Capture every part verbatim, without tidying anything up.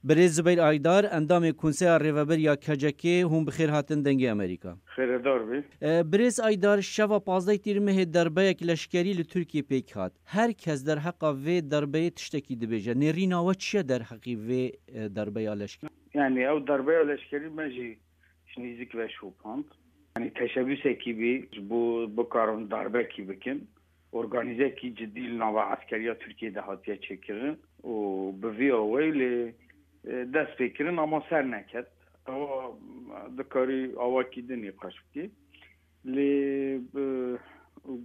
Birêz Zubeyr Aydar, endamê Konseya Rêvebir ya K C K, hûn bi xêr hatin Dengê Amerîka. Xêredar bî. E, Birêz Aydar, şeva pazdeh Tîrmehê derbeyek leşkerî li Tirkiyê pêk hat. Her kes derheqa vê derbeyê tiştekî dibêje. Nêrîna we çi ye derheqî vê, e, derbeya leşkerî? Yani ew derbeya leşkerî me jî ji nîzik ve şopand. Yani teşebbüsekî bî ji bo bikarin darbekî bikin. Organîzekî cidî li nava eskeriya Tirkiyê de hatiye çêkirin û bi vî awayî lê, e, dest pê kirin ama ser neket. Ewa dikarî awakî din nîqaş bikî. Lê bi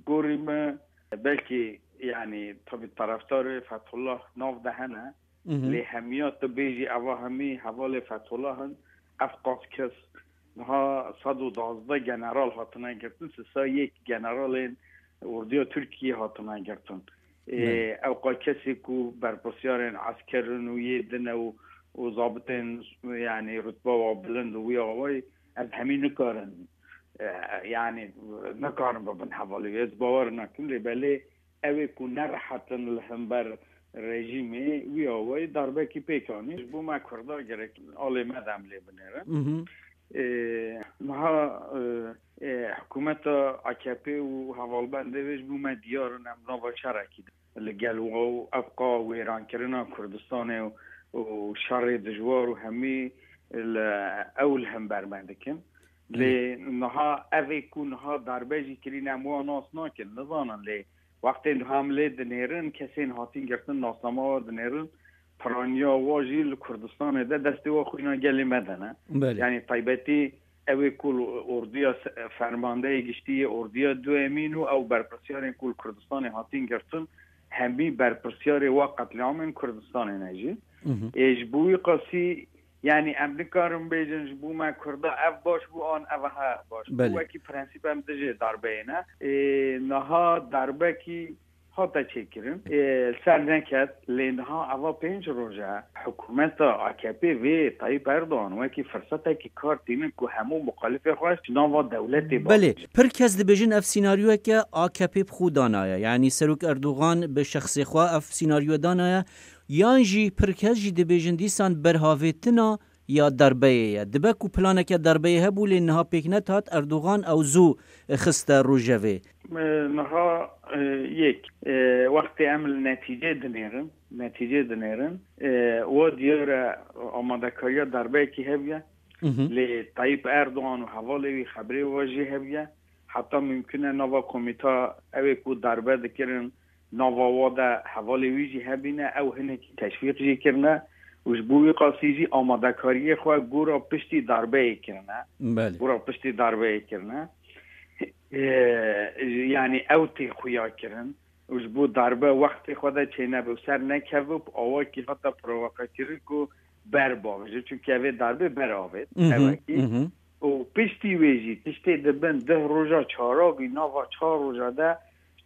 gorî me belkî, yani tabî taraftarê Fethullah nav de hene. Mhm. Lê hemiya tu bêjî eva hemî hevalê Fethullah in, ev qas kes niha sed û duwazdeh general hatine girtin, sisa yek generalên orduya Tirkiyê hatine girtin. Ê, Evet. Ew qa kesê ku berpirsiyarên esker in û yê din e û, û zabitên, yani rutba wa bilind û wî awayî, ev hemî nikarin, e, yani nikarin bibin hevalê wê. Ez bawer nakim lê belê ew ê ku nerehet in li hember rejîmê, wî awayî darbekî pêk anî. Ji bo me Kurda gerek alê me de em lê binêrin. Mhm. Ê, niha, e, e, hikûmeta A K P û hevalbendê wê ji bo me diyar in, em nava şerekî de li gel we û ev qa wêrankirina Kurdistanê û, û şerê dijwar û hemî li ew li hember me dikin. Lê niha ev ê ku niha darbe jî kirîne, em wan nas nakin, nizanin lê wextê niha em lê dinêrin, kesên hatîn girtin, nasnama wa dinêrin, piraniya wa jî li Kurdistanê de destê wa xwîna gelê me de ne. Belê. Yani taybetî ew ê ku li orduya se-, fermandeyê giştî yê orduya duyemîn û ew berpirsiyarên ku li Kurdistanê hatîn girtin, hemî berpirsiyarê wa qetlîamên Kurdistanê ne jî. Mhm. Ê, ji bo wî qasî, yani em nikarin bêjin ji bo me Kurda ev baş bû an ev he baş bû. Belê. Wekî prensîp em dijê darbeyê ne. Ê, niha darbekî hate çêkirin. Ê, ser neket, lê niha eva pênc roj e. Hikûmeta A K P vê Tayyip Erdogan wekî firsetekî kar tînin ku hemû muxalifê xwe ji nava dewletê Belê, bavêjin. Pir kes dibêjin ev sînaryoyeke A K P bi xwe danaye. Yani Serok Erdogan bi şexsê xwe ev sînaryo danaye. Yan jî pir kes jî dibêjin dîsan berhavêtina ya darbeyê ye. Dibe ku planeke darbeyê hebû lê niha pêk nehat, Erdogan ew zû xiste rojevê. E, niha, e, yek, e, wextê em li netîcê dinêrin, netîcê dinêrin, e, wa diyar e amadekariya darbeyekî hebiye. Mhm. Lê Tayyip Erdogan û hevalê wî xebrê wa jî hebiye. Heta mimkun e nava komîta ew ê ku darbe dikirin, nava wa de hevalê wî jî hebîne, ew hinekî teşwîq jî kirine û ji bo wî qasî jî amadekariyê xwe gora piştî darbeyê kirine. Belê. Gora piştî darbeyê kirine. Ee, yani ew tê xuya kirin û ji bo darbe wextê xwe de çênebe û ser nekeve û bi awakî hata provoqekirin ku ber bavêje. Çunke evê darbe ber avêt. Mhm, Ewekî. mhm. Û piştî wê jî tiştê dibin deh roja çaravî nava çar roja de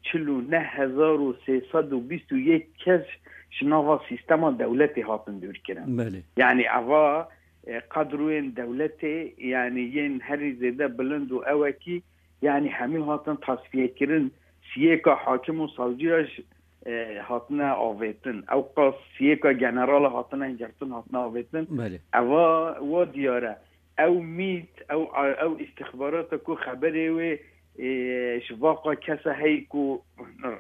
çil û neh hezar û sê sed û bîst û yek kes ji nava sîstema dewletê hatin dûrkirin. Belê. Yani eva, e, kadroyên dewletê, yani yên herî zêde bilind û ewekî, yani hemî hatin tasfiyekirin. Siyêka hakim û savciya ji, e, hatine avêtin. Ew qas siyêka generala hatine girtin, hatine avêtin. Belê. Eva wa diyar e. Ew mît, ew, ew îstixbarata ku xeberê wê, e, ji vaqa kesa heyî ku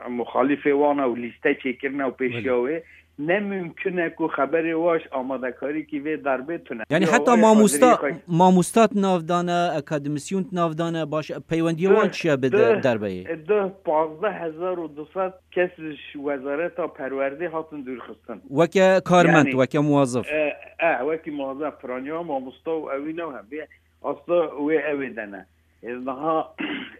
muxalîfê wan e û lîste çêkirine û pêşiya Belê. wê, ne mimkun e ku xeberê wa ji amadekarîkî vê darbê tune. Yani Ya heta wê mamosta, xatirî xwe mamosta di nav de ne, akademîsyon di nav de ne, baş, peywendiya wan Duh, çi ye bi de-, duh, derbeyê? duh, pazdeh hezar û du sed kes ji Wezareta Perwerdê hatin dûrxistin. Weke karmend, Yani, weke muwazif. e, e, wekî muwazif, piraniya mamosta û ewî ne hem vê asta wê ewê de ne. E, niha,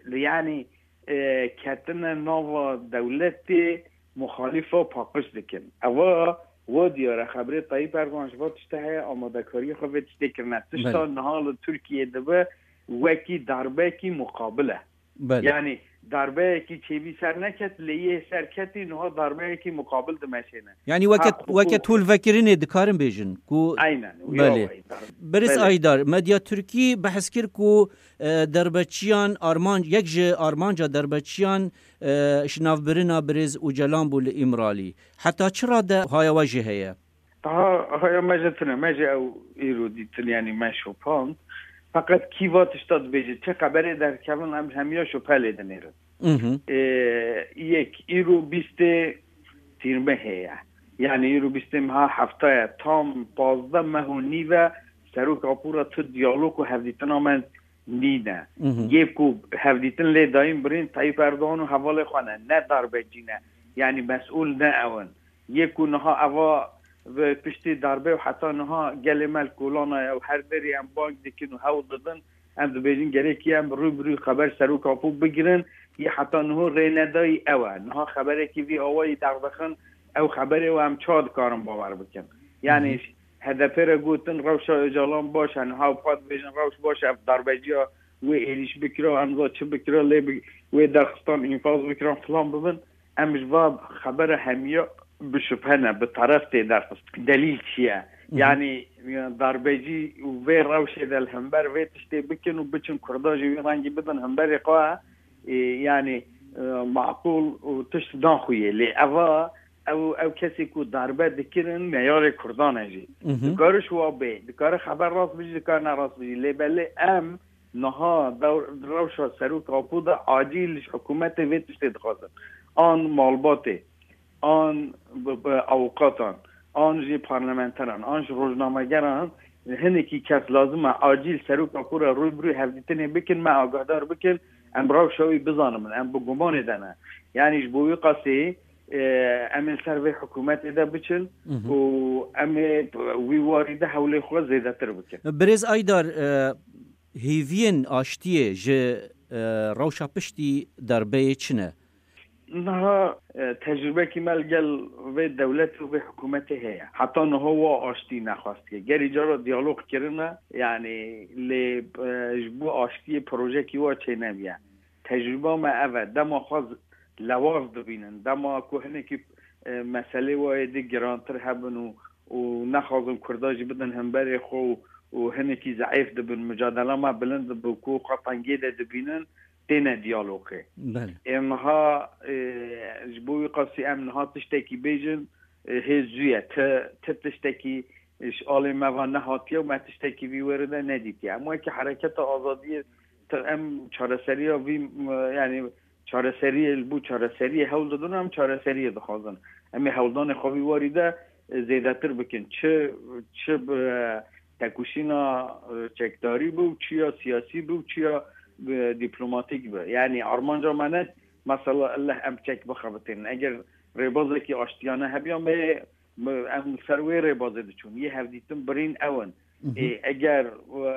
yani, e, ketine nava dewletê muxalîfa paqij dikin. Eva, wa diyar e, xeberê Tayyip Erdogan ji va tişte heye, amadekariyê xwe vê tiştê kirine. Tişta Belê. niha li Tirkiyê dibe wekî darbekî muqabil e. Belê. Yani darbeyekî çêbî ser neket, lê yê ser ketî niha darbeyekî muqabil dimeşêne. Yani weke, Ha, weke hukuk. tolvekirinê dikarin bêjin ku Aynen, Belê. ya wayî dar-, Birêz Belê. Aydar, medya Tirkî behs kir ku, e, derbeçiyan armanc, yek ji armanca derbeçiyan, e, şinavbirina birêz Ocalan bû li Îmralî. Heta çi rade haya we jî heye? Taha haya me jî tune, me jî ew îro dîtin, yanî me şopand. Feqet kî va tişta dibêje, çi xeberê derkevin, em hemiya şophe lê dinêrin. Mhm. Ê, yek, îro bîstê tîrmehê ye. Yanî îro bîstê meha hefta ye. Tam pazdeh meh û nîv e, Serok Apo re tu diyalog û hevdîtina me nîne. Mhm. Yê ku hevdîtin lê dayîn birîn Tayyip Erdogan û hevalê xwe ne, ne darbecî ne. Yanî mesûl ne ew in. Yê ku niha eva bi piştî darbê û heta niha gelê me li kolana ye û her derê em bang dikin û hewl didin, em dibêjin gerekî em rû bi rû xeber Serok Apo bigirin, yê heta niho rênedayî ew e. Niha xeberekî vî awayî derdixin, ew xeberê we em çawa dikarin bawer bikin? Yanî Hı hı. H D P re gotin rewşa Ocalan baş e, niha pa dibêjin rewş baş e, ev darbeciya wê êrîş bikira, em za çi bikira, lê bi-, wê derxistan înfaz bikiran filan bibin. Em ji va xebera hemiya bi şubhe ne, bi taref tê derxist. Delîl çi ye? Hı hı. Yanî, e, darbecî û vê rewşê de li hember vê tiştê bikin û biçin Kurda jî wî rengî bidin hemberê xwe, e, yanî, e, maqûl û tişt naxuye. Lê eva, ew, ew kesê ku darbe dikirin meyarê Kurdan e jî. Hı hı. Dikare ji wa bê, dikare xeber rast bijî, dikare ne rast bijî. Lê belê em niha dew-, rewşa Serok Apo de acîl ji hikûmetê vê tiştê dixwazin. An malbatê, an bi, bi avukatan, an jî parlamenteran, an jî rojnamegeran, hinekî kes lazim e acîl Serok Apo re rû bi rû hevdîtinê bikin, me agahdar bikin, em rewşa wî bizanimin, em bi gumanê de ne. Yanî ji bo wî qasî, e, em ê ser vê hikûmetê de biçin Mhm. û em ê wî warî de hewlê xwe zêdetir bikin. Birêz Aydar, e, hêviyên aştiyê ji, e, rewşa piştî darbeyê çi ne? Niha, e, tecrûbekî me li gel vê dewlet û vê hikûmetê heye. Heta niho wa aştî nexwestiye. Gerî cara diyalog kirine, yanî lê, e, ji bo aştiyê projekî wa çênebiye. Tecrûba me ev e. Dema xwe z-, lewaz dibînin, dema ku hinekî, e, meselê wa êdî girantir hebin û, û nexwazin Kurda jî bidin hemberê xwe û, û hinekî zeîf dibin, mucadela me bilind dibe ku xwe tengê de dibînin, têne diyalogê. Belê. Ê niha, e, ji bo wî qasî em niha tiştekî bêjin, e, hê zû ye. Ti, ti tiştekî ji alê me ve nehatiye û me tiştekî vî wêrê de nedîtiye. Em wekî hereketa azadiyê, ti, em çareseriya vî, m-, yanî çareseriyê, li bo çareseriyê hewl didin, em çareseriyê dixwazin. Em ê hewldanê xwe vî warî de, e, zêdetir bikin. Çi, çi bi, e, tekoşîna, e, çekdarî bû, çi ya siyasî bû, çi ya, e, dîplomatîk bû. Yanî armanca me ne, mesela, elleh em çek bixebitînin. Eger rêbazekî aştiyane hebiya me, me, em li ser wê rêbazê diçûn. Yê hevdîtin birîn ew in. Mhm. Ê, eger,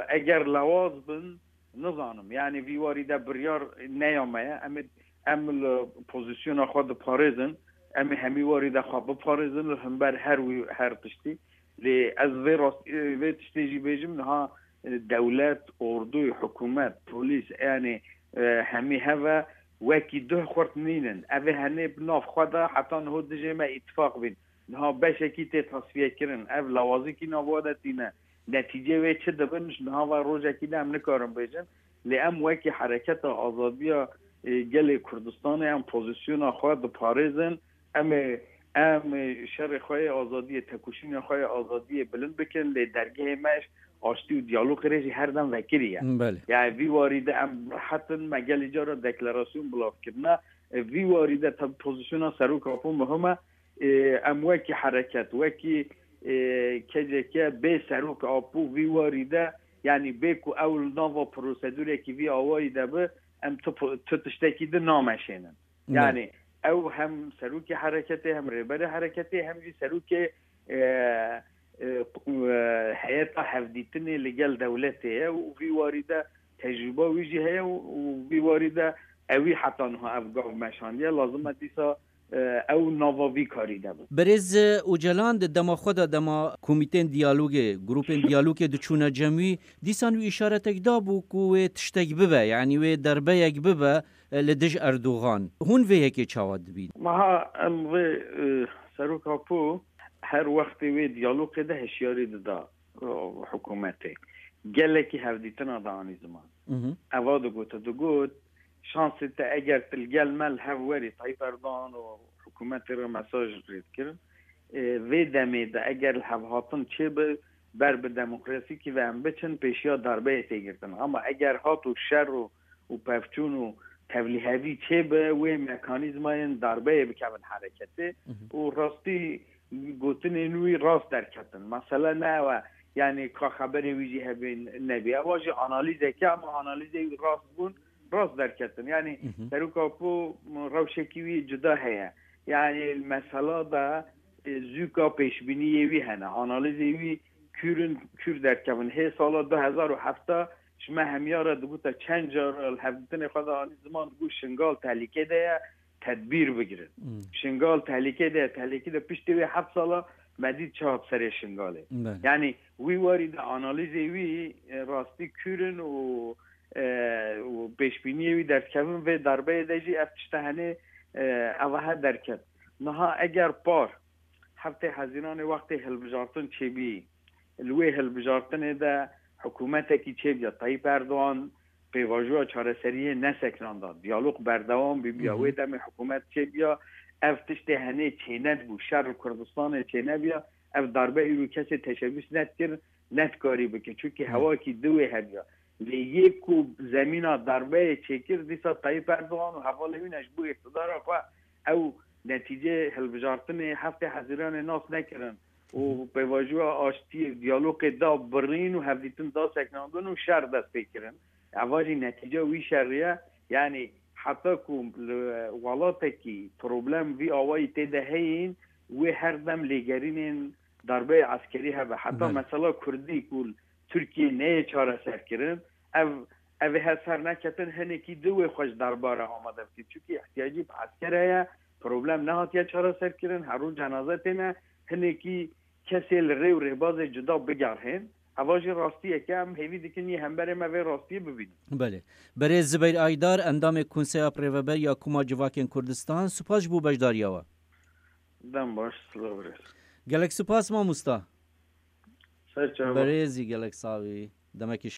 eger lewaz bin, nizanim. Yanî vî warî de biryar neya me ye. Em ê, em li pozîsyona xwe diparêzin. Em ê hemî warî de xwe biparêzin li hember her wî, her tiştî. Lê ez vê rast-, vê tiştê jî bêjim, niha, e, dewlet, ordu, hikûmet, polîs, yanî, e, hemî heve wekî duh xurt nînin. Ev ê henê bi nav xwe de heta niho dijê me îtifaq bîn. Niha beşekî tê tasfiyekirin. Ev lawazîkî nav we de tîne. Netîcê wê çi dibin, ji niha ve rojekî de em nikarin bêjin. Lê em wekî hereketa azadiya, e, gelê Kurdistanê em pozîsyona xwe diparêzin. Em ê, em ê şerê xwe yê azadiyê, tekoşîna xwe yê azadiyê bilind bikin, lê dergehê me ji aştî û diyalogê re jî her dem vekirî ye. Belê. Yani vî warî de em rehet in, me gelî cara deklarasyon bilav kirine. E, vî warî de tabi pozîsyona Serok Apo muhim e. E, em wekî hereket, wekî, e, K C K bê Serok Apo vî warî de, yani bê ku ew li nava prosedûrekî vî awayî de bi, em tu po-, tu tiştekî di nameşênin. Ne. Yani ew hem serokê hereketê, hem rêberê hereketê, hem jî serokê, e, e, e, heyeta hevdîtinê li gel dewletê ye û vî warî de tecrûba wî jî heye û, û vî warî de ewî heta niha ev gav meşandiye. Lazim e dîsa, e, ew nava vî karî de bin. Berêz Ocalan di dema xwe de, dema komîtên diyalogê, grûpên diyalogê diçûne cem wî, dîsan wî îşaretek dabû ku wê tiştek bibe, yanî wê derbeyek bibe, e, li dij Erdogan. Hûn vê yekê çawa dibîn? Meha em vê, e, Serok Apo her wextê wê diyalogê de hişyarî dida, e, hikûmetê. Gelekî hevdîtina danî ziman. Mhm. Eva digot, digot, şansê te eger tu li gel me li hev werî Tayyip Erdogan û hikûmetê re mesaj rê dikirin, e, vê demê de eger li hevhatin çêbe, ber bi demokrasîkî ve em biçin, pêşiya darbeyê tê girtin. Ama eger hat û şer û, û pevçûn û tevlîhevî çêbe, wê mekanîzmayên darbeyê bikevin hereketê. Û rastî gotinên wî rast derketin. Mesele ne ew e, yanî ka xeberê wî jî hebê nebê. Ewa jî analîzeke, ama analîzê wî rast bûn, rast derketin. Yanî Serok Apo rewşekî wî cuda heye. Yanî mesela de, e, zûka pêşbîniyê wî hene. Analîzê wî kûr in, kûr derkevin. Hê sala du hezar û heft ji me hemiya re dibûte çend car li hevdîtinê xwe de anî ziman, dibû Şingal tehlîkê de ye, tedbîr bigirin. Şingal tehlîkê de ye, tehlîkê de piştî wê heft sala me dît çi hat serê Şingalê. Belê. Yanî wî warî de analîzê wî, e, rastî kûr in û, e, û pêşbîniyê wî derkevin vê darbeyê de jî ev tişte henê, e, evahe derket. Niha eger par heftê Hezîranê wextê hilbijartin çêbî, li wê hilbijartinê de hikûmetekî çêbiya, Tayyip Erdogan pêvajoya çareseriyê neseknanda, diyalog berdewam bîbiya, wê demê hikûmet çêbiya, ev tiştê henê çênedibû, şer li Kurdistanê çênebiya, ev darbe îro kesê teşebûs nedikir, nedikarî bike. Çunkî hewakî di wê hebiya. Lê yê ku zemîna darbeyê çêkir, dîsa Tayyip Erdogan û hevalê wî ne ji bo îqtidara xwe ew netîceyê hilbijartinê heftê Hezîranê nas nekirin û pêvajoya aştiyê, diyalogê da birîn û hevdîtin da seknandin û şer dest pê kirin. Eva jî netîca wî şerî ye. Yanî heta ku li welatekî problem vî awayî tê de heyîn, wê her dem lêgerînên darbeyê eskerî hebe. Heta Belê. Mesela Kurdî ku li Tirkiyê neyê çareser kirin, ev, ev ê her ser neketin, hinekî di wê xwe ji darba re amade bikî. Çunkî ihtiyacî bi esker heye, problem nehatiye çareser kirin, her roj cenaze têne, hinekî kesê li rê û rêbazê cuda bigerhên. Eva jî rastiyeke, em hêvî dikin yê hemberê me vê rastiyê bibînin. Belê. Berêz Zibeyr Aydar, endamê Konseya Birêveber ya Koma Civakên Kurdistan, spas ji bo beşdariya we. Dem baş, silav birêz. Gelek spas mamosta. Ser çava. Berêzî gelek savî. Demekî